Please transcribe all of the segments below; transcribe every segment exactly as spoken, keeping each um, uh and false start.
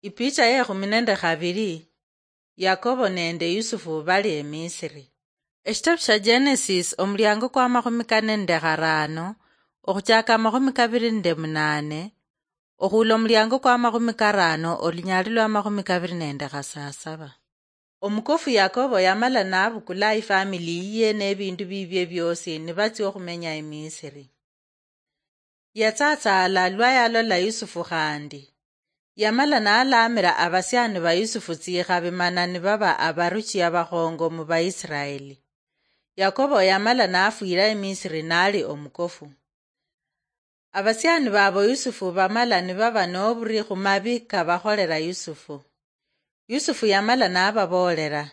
Ipicha yekhumi nende khabili. Yakobo nende Yusufu bali eMisiri. Eshitabu sha Genesis, omuliango kwa makhumi kane nende kharano, okhuchaka amakhumi kabili nende munane, okhula omuliango kwa makhumi karano, olunyali lwa makhumi kabili nende khasasaba. Omukofu Yakobo yamala nabukula ifamili yiye nebindu bibie biosi nibatsia okhumenya eMisiri. Yatsatsaala lwa yalola Yusufu khandi. Yamala nalaamira abasiani ba Yusufu tsikhabi mana nibaba abaruchi abakhongo mu Baisiraeli. Yakobo yamala nafwira eMisiri nali omukofu. Abasiani babo Yusufu bamala nibaba noburi khumabi kabakholera Yusufu. Yusufu yamala nababoolera,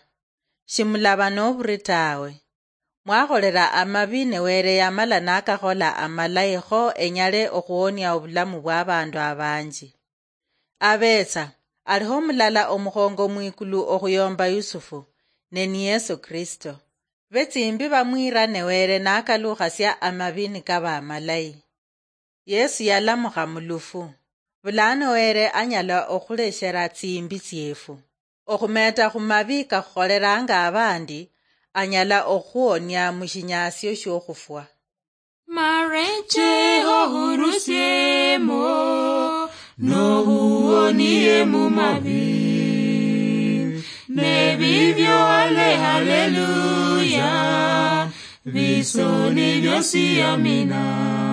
"Shimulaba noburi tawe. Mwakholera amabi ne Were yamala nakakhola amalayi kho enyale okhuwonia obulamu bwabandu abanji. Abetsa, aliho mulala omukhongo mwikulu okhuyomba Yusufu, ne ni Yesu Kristo. Betsimbi bamwira ne Were nakalukhasia amabi nikaba amalayi." Yesu yalamukha mulufu. Bulano Were anyala okhuleshera tsimbi tsiefu. Okhumeta khumabi kakhukholeranga abandi, anyala okhuonia mushinyasio shiokhufwa. Mareche ohurusiemo, nohuonie mumabi. Nebibyo ale haleluya, bisoni byosi amina.